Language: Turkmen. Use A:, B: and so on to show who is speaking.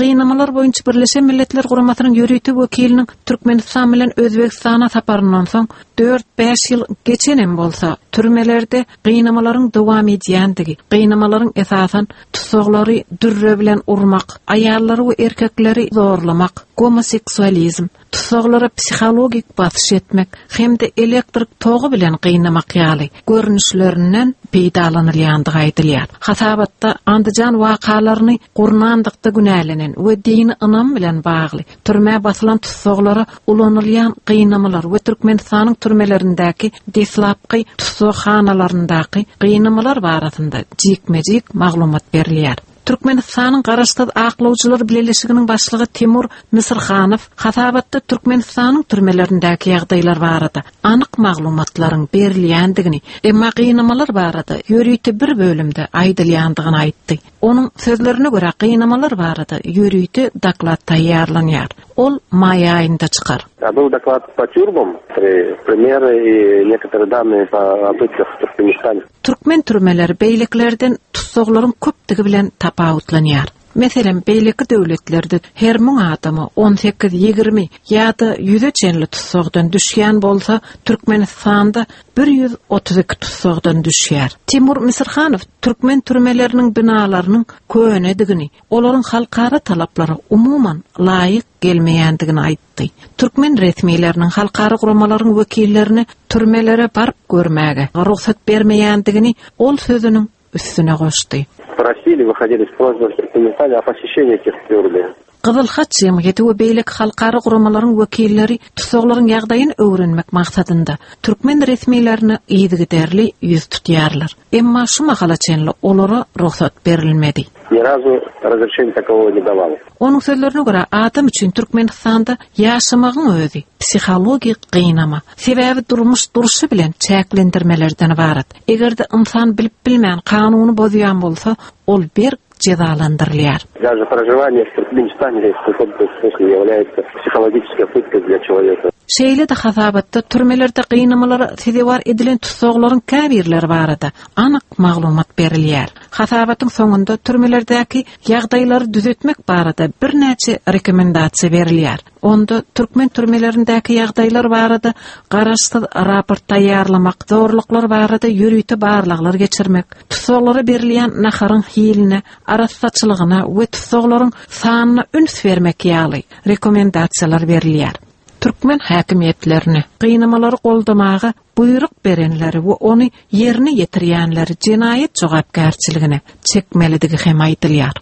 A: Gynamalar boýunça Birleşen Milletler Guramasynyň ýörite wekiliniň Türkmenistan bilen Özbegistana saparyndan soň dört-bäş ýyl geçenem bolsa, türmelerde gynamalaryň dowam edýändigi, gynamalaryň esasan tussaglary dürre bilen urmak, aýallary we erkekleri zorlamak, gomoseksualizm, tussaglara psihologik basyş etmek hem-de elektrik togy bilen gynamak ýaly görnüşlerinden peýdalanylýandygy aýdylýar. Hasabatda Andijan wakalaryny gurnandykda günälenen we dini ynam bilen bagly türmä basylan tussaglara ulanylýan gynamalar we Türkmenistanyň türmelerindäki deslapky tussaghanalaryndaky gynamalar barasynda jikme-jik maglumat berilýär. Türkmenistanyň Garaşsyz aklawjylar bileleşiginiň başlygy Timur Misrhanow hasabatda Türkmenistanyň türmelerindäki ýagdaýlar barada anyk maglumatlaryň berilýändigini, emma gynamalar barada ýörite bir bölümde aýdylýandygyny aýtdy. Onuň sözlerine görä, gynamalar barada ýörite doklad taýýarlanýar. Ol maý aýynda çykar.
B: Был доклад по тюрьмам, примеры и некоторые данные по пытках в Туркменистане.
A: Türkmen türmeleri beýlekilerden tussaglaryň köpdügi bilen tapawutlanýar. Meselem, beýleki döwletlerde her müň adama 18, 20 ýa-da ýüze çenli tussagdan düşýän bolsa, Türkmenistanda 132 tussagdan düşýär. Timur Misirhanow türkmen türmeleriniň binalarynyň könedigini, olaryň halkara talaplara umuman laýyk gelmeýändigini aýtdy. Türkmen resmileriniň halkara guramalaryň wekillerine türmelere baryp görmäge rugsat bermeýändigini ol sözüniň üstüne goşdy.
B: Просили, выходили с просьбой в Туркменистане о посещении этих тюрьмы.
A: Gyzyl Haç jemgyýeti we beýleki halkara guramalaryň wekilleri tussaglaryň ýagdaýyny öwrenmek maksadynda türkmen resmilerine yzygiderli ýüz tutýarlar. Emma şu mahala çenli olara rugsat berilmedi.
B: Ni razu razrešeniýa takogo ne dawal.
A: Onuň sözlerine görä, adam üçin Türkmenistanda ýaşamagyň özi psihologik gynama. Sebäbi durmuş durşy bilen çäklendirmelerden ybarat. Eger-de ynsan bilip-bilmän kanuny bozýan bolsa, ol berk jezalandyrylýar.
B: Daže prožiwaniýe w Türkmenistane w kakom-to smysle ýawlýaýetsa psihologiçeskoý pytkой dlýa çeloweka.
A: Şeýle-de hasabatda türmelerde gynamalara sezewar edilen tussaglaryň käbirleri barada anyk maglumat berilýär. Hasabatyň soňunda türmelerdäki ýagdaýlary düzetmek barada birnäçe rekomendasiýa berilýär. Onda türkmen türmelerindäki ýagdaýlar barada garaşsyz raport taýýarlamak, zorluklar barada ýörite barlaglar geçirmek, tussaglara berilýän naharyň hiline, arassaçylygyna we tussaglaryň sanyna üns bermek ýaly rekomendasiýalar berilýär. Türkmen häkimiýetlerine gynamalary goldamaga buýruk berenleri we ony ýerine ýetirýänleri jenaýat jogapkärçiligine çekmelidigi hem aýdylýar.